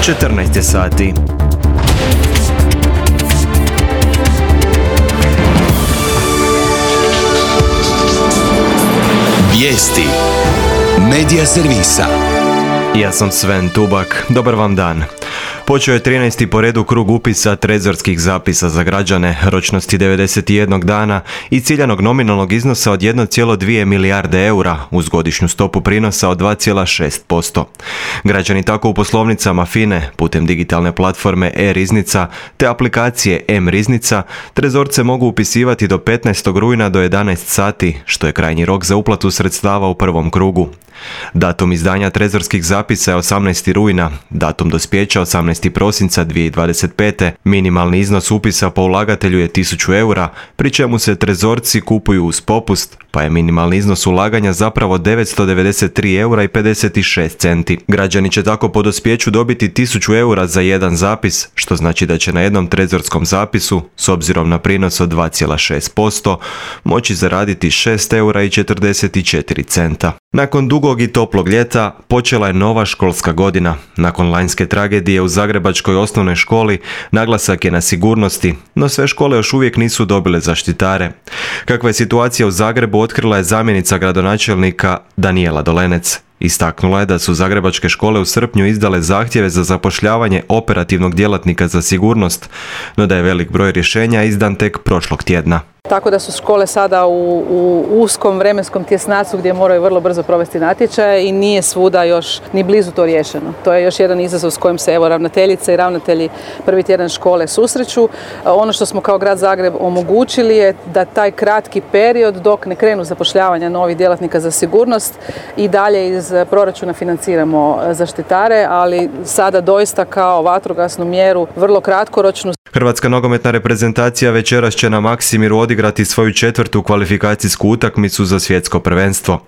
14 je sati. Vijesti Medija servisa. Ja sam Sven Tubak, dobar vam dan. Počeo je 13. po redu krug upisa trezorskih zapisa za građane ročnosti 91 dana i ciljanog nominalnog iznosa od 1,2 milijarde eura uz godišnju stopu prinosa od 2,6%. Građani tako u poslovnicama FINE putem digitalne platforme e-riznica te aplikacije m-riznica trezorce mogu upisivati do 15. rujna do 11 sati, što je krajnji rok za uplatu sredstava u prvom krugu. Datum izdanja trezorskih zapisa je 18. rujna, datum dospijeća 18. prosinca 2025. Minimalni iznos upisa po ulagatelju je 1000 eura, pri čemu se trezorci kupuju uz popust, pa je minimalni iznos ulaganja zapravo 993 eura i 56 centi. Građani će tako po dospijeću dobiti 1000 eura za jedan zapis, što znači da će na jednom trezorskom zapisu, s obzirom na prinos od 2,6%, moći zaraditi 6 eura i 44 centa. Nakon dugog i toplog ljeta počela je nova školska godina. Nakon lanjske tragedije u zagrebačkoj osnovnoj školi naglasak je na sigurnosti, no sve škole još uvijek nisu dobile zaštitare. Kakva je situacija u Zagrebu otkrila je zamjenica gradonačelnika Danijela Dolenec. Istaknula je da su zagrebačke škole u srpnju izdale zahtjeve za zapošljavanje operativnog djelatnika za sigurnost, no da je velik broj rješenja izdan tek prošlog tjedna. Tako da su škole sada u uskom vremenskom tjesnacu gdje moraju vrlo brzo provesti natječaje i nije svuda još ni blizu to riješeno. To je još jedan izazov s kojim se ravnateljice i ravnatelji prvi tjedan škole susreću. Ono što smo kao grad Zagreb omogućili je da taj kratki period dok ne krenu zapošljavanja novih djelatnika za sigurnost i dalje iz proračuna financiramo zaštitare, ali sada doista kao vatrogasnu mjeru vrlo kratkoročnu. Hrvatska nogometna reprezentacija večeras će na Maksimiru odigrati svoju 4. kvalifikacijsku utakmicu za svjetsko prvenstvo.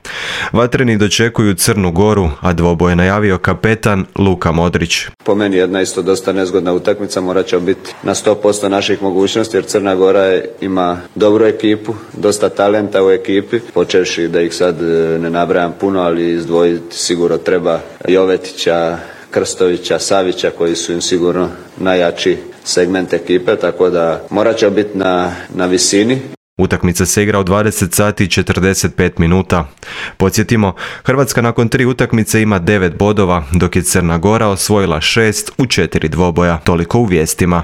Vatreni dočekuju Crnu Goru, a dvoboj je najavio kapetan Luka Modrić. Po meni jedna isto dosta nezgodna utakmica, morat će biti na 100% naših mogućnosti jer Crna Gora ima dobru ekipu, dosta talenta u ekipi, počevši da ih sad ne nabrajam puno, ali izdvojiti sigurno treba Jovetića, Krstovića, Savića koji su im sigurno najjači segment ekipe, tako da morat će biti na visini. Utakmica se igra u 20 sati i 45 minuta. Podsjetimo, Hrvatska nakon 3 utakmice ima 9 bodova, dok je Crna Gora osvojila 6 u 4 dvoboja. Toliko u vijestima.